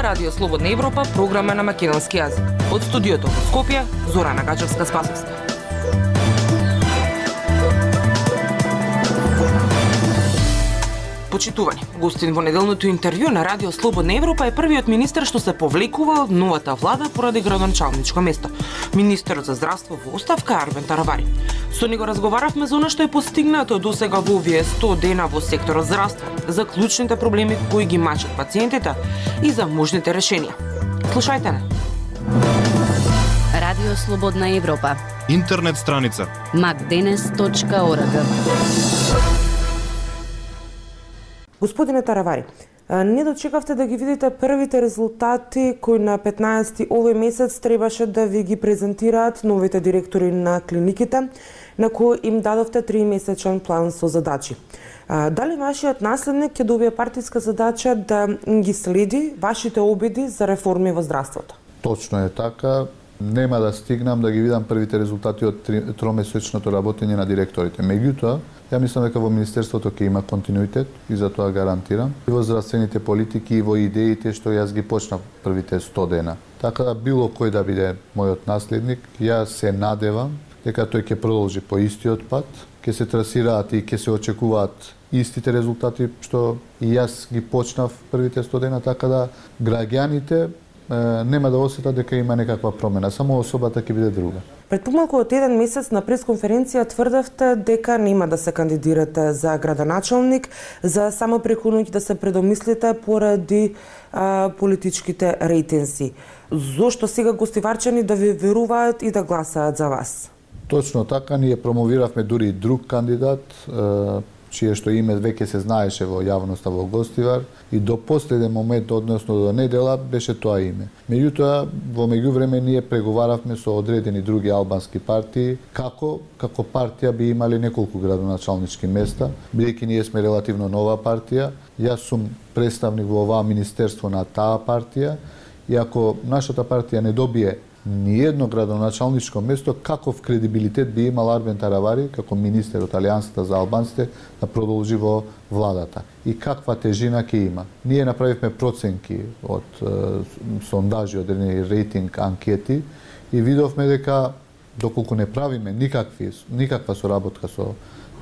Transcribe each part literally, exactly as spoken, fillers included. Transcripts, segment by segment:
Радио Слободна Европа, програма на македонски јазик. Од студиото во Скопје, Зорана Гаџевска-Спасовска. Почитувани, гостин во неделното интервју на Радио Слободна Европа е првиот министер што се повлекува од новата влада поради градоначалничко место. Министерот за здравство во оставка Арбен Таравари. Со него разговаравме за она што е постигнато досега во овие сто дена во секторот здравство, за клучните проблеми кои ги мачат пациентите и за можните решенија. Слушајте не. Радио Слободна Европа. Интернет страница макденес точка орг. Господине Таравари, не дочекавте да ги видите првите резултати кои на петнаесети овој месец требаше да ви ги презентираат новите директори на клиниките, на кои им дадовте тримесечен план со задачи. Дали вашиот наследник ќе добие партиска задача да ги следи вашите обиди за реформи во здравството? Точно е така. Нема да стигнам да ги видам првите резултати од тромесечното работење на директорите. Меѓутоа, ја мислам дека во Министерството ќе има континуитет и за тоа гарантирам. И во здравствените политики и во идеите што јас ги почнав првите сто дена. Така да било кој да биде мојот наследник, јас се надевам дека тој ќе продолжи по истиот пат, ќе се трасираат и ќе се очекуваат истите резултати што и јас ги почнав првите сто дена, така да граѓаните нема да осетат дека има некаква промена, само особата ќе биде друга. Пред помалку од еден месец на пресконференција тврдавте дека нема да се кандидирате за градоначалник, за само преку ноќ да се предомислите поради а, политичките рейтинзи. Зошто сега гостиварчани да ви веруваат и да гласаат за вас? Точно така, ние промовиравме дури и друг кандидат, чие што име веќе се знаеше во јавноста во Гостивар и до последен момент, односно до недела, беше тоа име. Меѓутоа, во меѓувреме ние преговаравме со одредени други албански партии како како партија би имале неколку градоначалнички места, бидејќи ние сме релативно нова партија. Јас сум представник во оваа министерство на таа партија и ако нашата партија не добие ни едно градоначалничко место, каков кредибилитет би имал Арбен Таравари како министер од Алијансата за албанците да продолжи во владата и каква тежина ќе има. Ние направивме проценки од е, сондажи, од рейтинг анкети и видовме дека доколку не правиме никакви никаква соработка со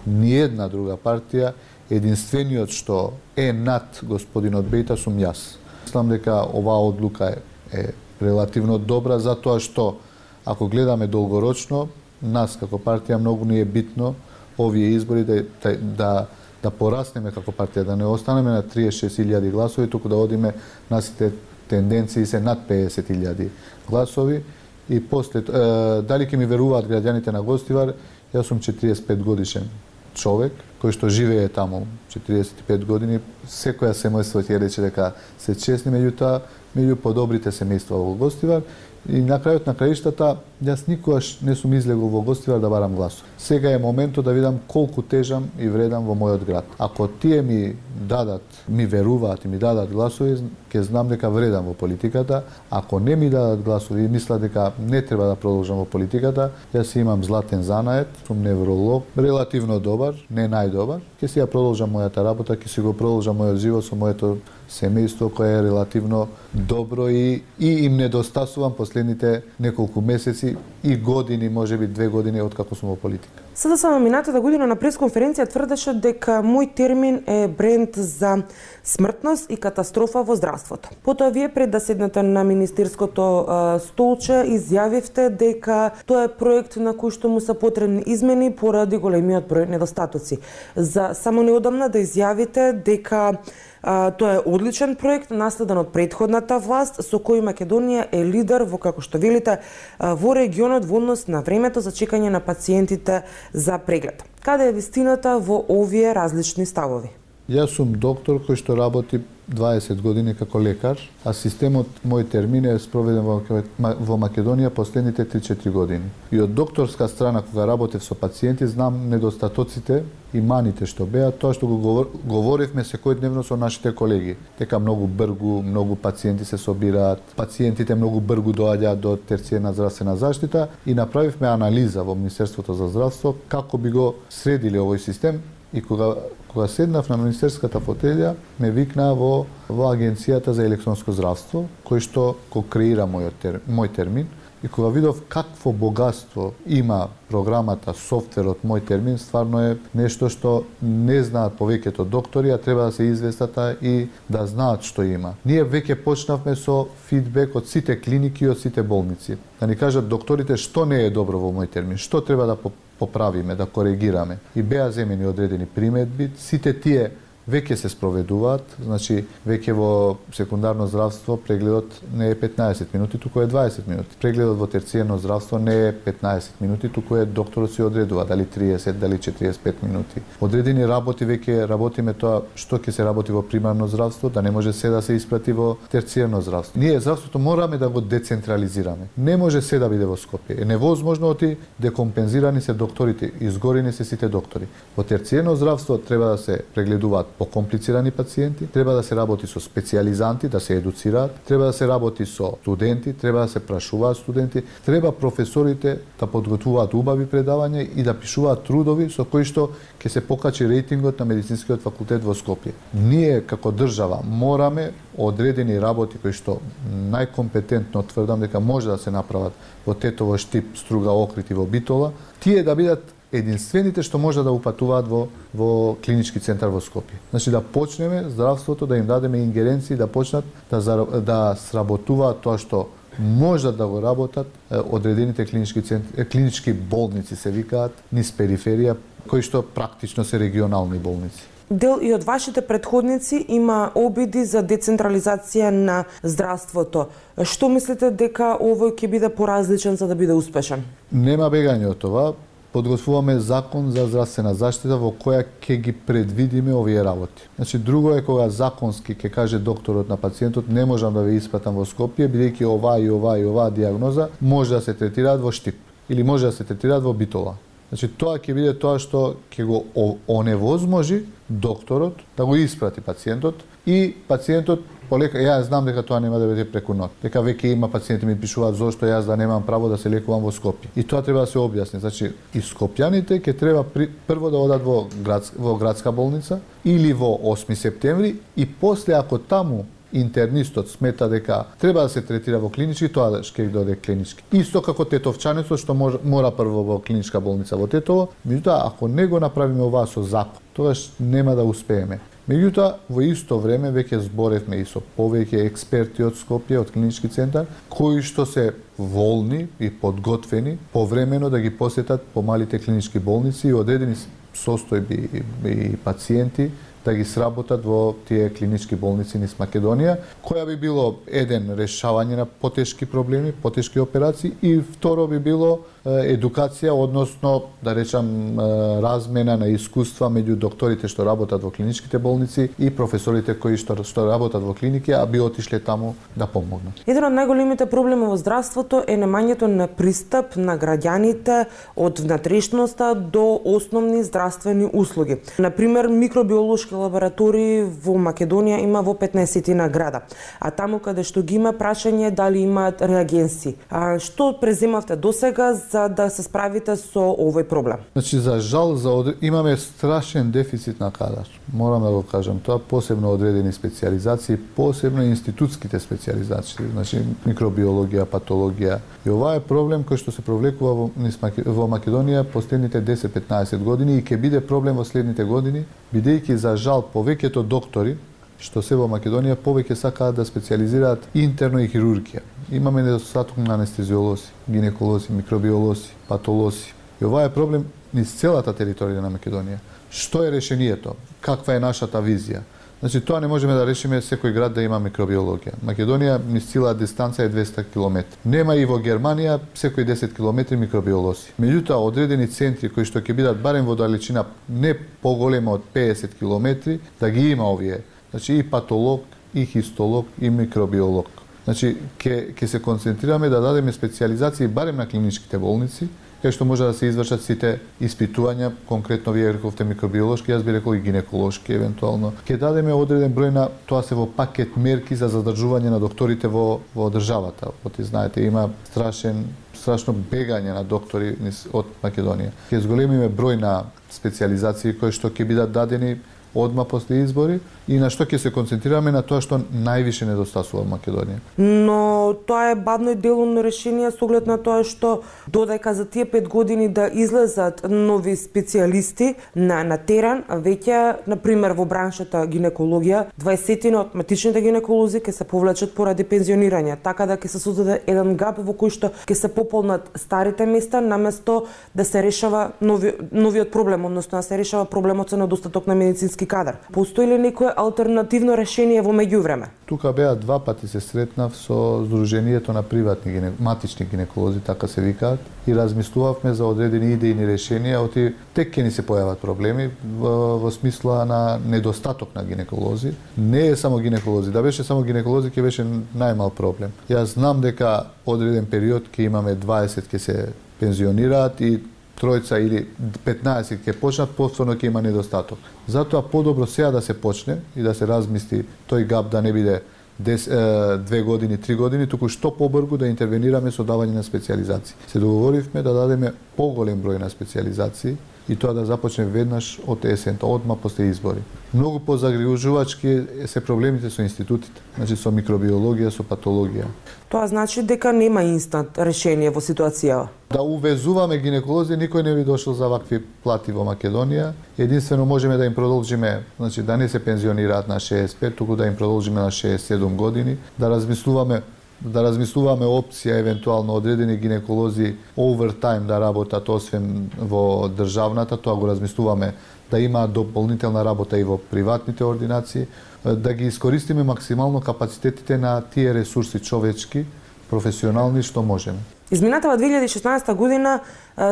ни една друга партија, единствениот што е над господинот Бејта сум јас. Мислам дека оваа одлука е, е релативно добра, затоа што, ако гледаме долгорочно, нас како партија многу ни е битно овие избори да, да, да пораснеме како партија, да не останеме на триесет и шест илјади гласови, туку да одиме насите тенденции се над педесет илјади гласови. И после, е, дали ќе ми веруваат граѓаните на Гостивар, јас сум четириесет и пет годишен човек, кој што живее таму четириесет и пет години, секоја семејство ќе рече дека се честни, меѓутоа меѓу подобрите семејства во Гостивар и на крајот на краиштата јас никогаш не сум излегол во Гостивар да барам гласови. Сега е моментот да видам колку тежам и вредам во мојот град. Ако тие ми дадат, ми веруваат и ми дадат гласови, ќе знам дека вредам во политиката. Ако не ми дадат гласови и мислат дека не треба да продолжам во политиката, јас имам златен занает, сум невролог, релативно добар, не најдобар. Ќе си ја продолжам мојата работа, ќе си го продолжам мојот живот со моето семејство кое е релативно добро и, и им недостасувам последните неколку месеци и години, можеби две години откако сум во политика. Сега само минатата година на пресконференција тврдеше дека мој термин е бренд за смртност и катастрофа во здравството. Потоа вие пред да седнете на министерското а, столче изјавивте дека тоа е проект на кој што му се потребни измени поради големиот број недостатоци. За само неодамна да изјавите дека а, тоа е одличен проект наследен од претходната власт со кој Македонија е лидер во, како што велите, а, во регионот во однос на времето за чекање на пациентите за преглед. Каде е вистината во овие различни ставови? Јас сум доктор кој што работи дваесет години како лекар, а системот мој термин е спроведен во, во Македонија последните три-четири години. И од докторска страна, кога работев со пациенти, знам недостатоците и маните што беа, тоа што го говор, говоревме секојдневно со нашите колеги. Дека многу бргу, многу пациенти се собираат, пациентите многу бргу доаѓаат до терцијерна здравствена заштита и направивме анализа во Министерството за здравство како би го средиле овој систем. И кога, кога седнав на министерската фотелја, ме викнаа во, во Агенцијата за електронско здравство, кој што го креира мојот тер, мој термин. И кога видов какво богатство има програмата, софтверот мој термин, стварно е нешто што не знаат повеќето доктори, а треба да се известата и да знаат што има. Ние веќе почнавме со фидбек од сите клиники и од сите болници. Да ни кажат докторите што не е добро во мој термин, што треба да поправиме, да коригираме. И беа земени одредени приметби, сите тие веќе се спроведуваат, значи веќе во секундарно здравство прегледот не е петнаесет минути, туку е дваесет минути. Прегледот во терцијерно здравство не е петнаесет минути, туку е докторот си одредува дали триесет, дали четириесет и пет минути. Одредени работи веќе работиме тоа што ќе се работи во примарно здравство, да не може се да се испрати во терцијерно здравство. Ние здравството мораме да го децентрализираме. Не може се да биде во Скопје. Е невозможно оти декомпензирани се докторите, изгорени се сите доктори. Во терцијерно здравство треба да се прегледуваат покомплицирани пациенти, треба да се работи со специјализанти, да се едуцираат, треба да се работи со студенти, треба да се прашуваат студенти, треба професорите да подготвуваат убави предавања и да пишуваат трудови со кои што ќе се покачи рейтингот на медицинскиот факултет во Скопје. Ние како држава мораме одредени работи кои што најкомпетентно тврдам дека може да се направат во Тетово, Штип, Струга, Охрид и во Битола, тие да бидат единствените што може да упатуваат во, во клинички центар во Скопје. Значи да почнеме здравството, да им дадеме ингеренции, да почнат да, да сработуваат тоа што можат да го работат одредените клинички центри, клинички болници се викаат низ периферија, кои што практично се регионални болници. Дел и од вашите претходници има обиди за децентрализација на здравството. Што мислите дека овој ќе биде поразличен за да биде успешен? Нема бегање од това. Подготвуваме закон за здравствена заштита во која ќе ги предвидиме овие работи. Значи друго е кога законски ќе каже докторот на пациентот не можам да ве испратам во Скопје бидејќи оваа и оваа и оваа диагноза може да се третираат во Штип или може да се третираат во Битола. Значи тоа ќе биде тоа што ќе го оневозможи докторот да го испрати пациентот и пациентот полека, јас знам дека тоа нема да биде преку ноќ. Дека веќе има пациенти ми пишуваат зошто јас да немам право да се лекувам во Скопје. И тоа треба да се објасни. Значи и скопјаните ќе треба при, прво да одат во град, во градска болница или во осми септември и после ако таму интернистот смета дека треба да се третира во клинички, тоа ќе дојде клинички. Исто како тетовчанецот што мора, мора прво во клиничка болница во Тетово, меѓутоа ако не го направиме ова со закон, тогаш нема да успееме. Меѓутоа, во исто време веќе зборевме и со повеќе експерти од Скопје, од клинички центар, кои што се волни и подготвени повремено да ги посетат помалите клинички болници и одредени состојби и пациенти да ги сработат во тие клинички болници низ Македонија, која би било еден решавање на потешки проблеми, потешки операции и второ би било едукација, односно да речам размена на искуства меѓу докторите што работат во клиничките болници и професорите кои што што работат во клиники, а би отишле таму да помогнат. Еден од најголемите проблеми во здравството е немањето на пристап на граѓаните од внатрешноста до основни здравствени услуги. На пример, микробиолошки лаборатории во Македонија има во петнаесет града, а таму каде што ги има прашање дали имаат реагенси. А што преземавте досега за да се справите со овој проблем? Значи за жал за од... имаме страшен дефицит на кадар. Морам да го кажам тоа, посебно одредени специјализации, посебно институтските специјализации, значи микробиологија, патологија. И ова е проблем кој што се провлекува во, во Македонија последните десет-петнаесет години и ќе биде проблем во следните години, бидејќи за жал повеќето доктори што се во Македонија повеќе сакаат да специјализираат интерно и хирургија. Имаме недостаток на анестезиолози, гинеколози, микробиолози, патолози. И ова е проблем низ целата територија на Македонија. Што е решението? Каква е нашата визија? Значи тоа не можеме да решиме секој град да има микробиологија. Македонија низ цела дистанца е двесте километри. Нема и во Германија секој десет километри микробиолози. Меѓутоа одредени центри кои што ќе бидат барем во далечина не поголема од педесет километри, да ги има овие. Значи и патолог, и хистолог, и микробиолог. Значи ќе ќе се концентрираме да дадеме специјализации барем на клиничките болници, кај што може да се извршат сите испитувања, конкретно вие рековте микробиолошки, јас би рекол и гинеколошки евентуално. Ќе дадеме одреден број на, тоа се во пакет мерки за задржување на докторите во во државата. Оти знаете има страшен страшно бегање на доктори од Македонија. Ќе зголемиме број на специјализации кои што ќе бидат дадени одма после избори и на што ќе се концентрираме на тоа што највише недостасува во Македонија. Но тоа е бавно и делумно решение со оглед на тоа што додека за тие пет години да излезат нови специјалисти на на терен, веќе на пример во браншата гинекологија, дваесетина од матичните гинеколози ќе се повлечат поради пензионирање, така да ќе се создаде еден гап во кој што ќе се пополнат старите места наместо да се решава нови, новиот проблем, односно да се решава проблемот со недостаток на медицински кадар. Постои ли некое алтернативно решение во меѓувреме? Тука беа два пати се сретнав со Сдруженијето на приватни гине... матични гинеколози, така се викаат, и размислувавме за одредени идејни решенија, оти тек ќе ни се појават проблеми во, во смисла на недостаток на гинеколози. Не е само гинеколози, да беше само гинеколози ќе беше најмал проблем. Јас знам дека одреден период ќе имаме дваесет ќе се пензионираат и тројца или петнаесет ќе почнат, повторно ќе има недостаток. Затоа подобро сега да се почне и да се размисли тој гап да не биде две години, три години, туку што побрзо да интервенираме со давање на специјализации. Се договоривме да дадеме поголем број на специјализации и тоа да започне веднаш од есента, одма после избори. Многу позагрижувачки се проблемите со институтите, значи со микробиологија, со патологија. Тоа значи дека нема инстант решение во ситуацијава. Да увезуваме гинеколози, никој не би дошол за вакви плати во Македонија. Единствено можеме да им продолжиме, значи да не се пензионираат на шеесет и пет, туку да им продолжиме на шеесет и седум години, да размислуваме да размислуваме опција евентуално одредени гинеколози овертајм да работат освен во државната, тоа го размислуваме да има дополнителна работа и во приватните ординации, да ги искористиме максимално капацитетите на тие ресурси човечки, професионални што можеме. Изминатава две илјади и шеснаесета година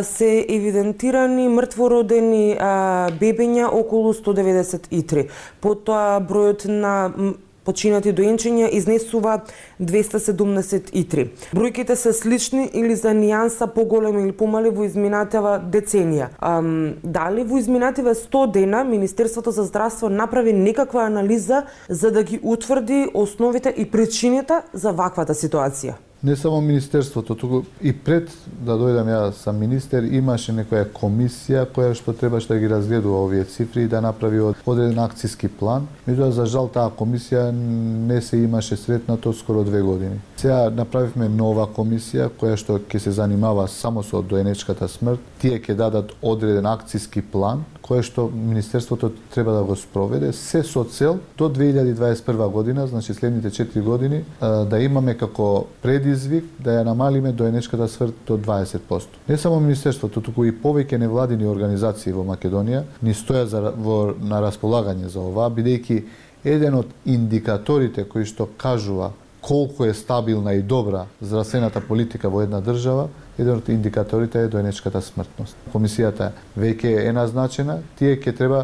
се евидентирани мртвородени бебења околу сто деветдесет и три. Потоа бројот на починати доенчиња изнесува двесте седумдесет и три. Бројките се слични или за нијанса поголеми или помали во изминатава деценија. Ам, дали во изминативе сто дена Министерството за здравство направи некаква анализа за да ги утврди основите и причините за ваквата ситуација? Не само Министерството, туку и пред да дојдам ја сам министер, имаше некоја комисија која што требаше да ги разгледува овие цифри и да направи одреден акциски план. Меѓутоа, за жал, таа комисија не се имаше сретнато скоро две години. Сега направивме нова комисија која што ќе се занимава само со доенечката смрт. Тие ќе дадат одреден акциски план кој што Министерството треба да го спроведе, се со цел до две илјади дваесет и прва година, значи следните четири години, да имаме како предизвик да ја намалиме доенечката смрт до дваесет проценти. Не само Министерството, туку и повеќе невладини организации во Македонија ни стојат за, во, на располагање за ова, бидејќи еден од индикаторите кои што кажува колку е стабилна и добра здравствената политика во една држава, еден од индикаторите е доенечката смртност. Комисијата веќе е назначена, тие ќе треба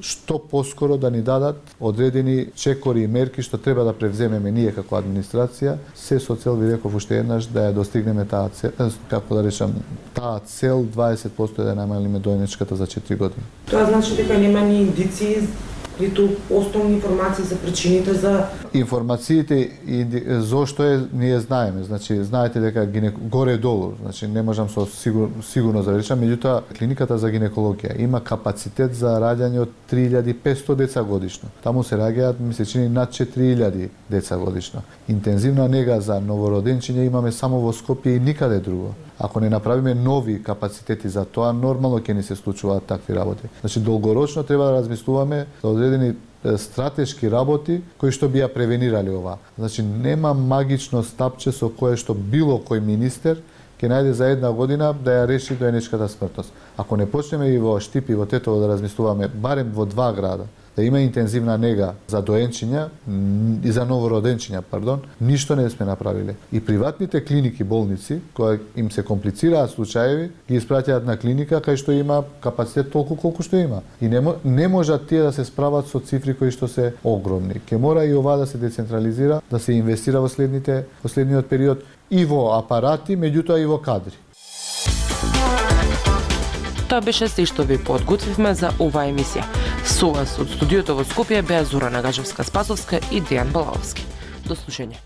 што поскоро да ни дадат одредени чекори и мерки што треба да превземеме ние како администрација, се со цел, ви реков уште еднаш, да ја достигнеме таа цел, како да речам, таа цел дваесет проценти да намалиме доенечката за четири години. Тоа значи дека нема ни индиции ниту основни информации за причините за информациите и зошто е ние знаеме. Значи знаете дека гинек... горе долу, значи не можам со сигур... сигурно да речам, меѓутоа клиниката за гинекологија има капацитет за раѓање од три илјади и петсто деца годишно. Таму се раѓаат, ми се чини, над четири илјади деца годишно. Интензивна нега за новороденчиња имаме само во Скопје и никаде друго. Ако не направиме нови капацитети за тоа, нормално ќе ни се случуваат такви работи. Значи долгорочно треба да размислуваме за одредени стратешки работи кои што би ја превенирали ова. Значи нема магично стапче со кое што било кој министер ќе најде за една година да ја реши доенечката смртност. Ако не почнеме и во Штип и во Тетово да размислуваме барем во два града да има интензивна нега за доенчиња и за новороденчиња, пардон, ништо не сме направиле. И приватните клиники, болници, кои им се комплицираат случаеви, ги испраќаат на клиника кај што има капацитет толку колку што има. И не, не можат тие да се справат со цифри кои што се огромни. Ке мора и ова да се децентрализира, да се инвестира во следните во следниот период и во апарати, меѓутоа и во кадри. Тоа беше се што ви подготвивме за оваа емисија. Со вас од студиото во Скопје беа Зорана Гажевска-Спасовска и Дејан Балаовски. До слушање.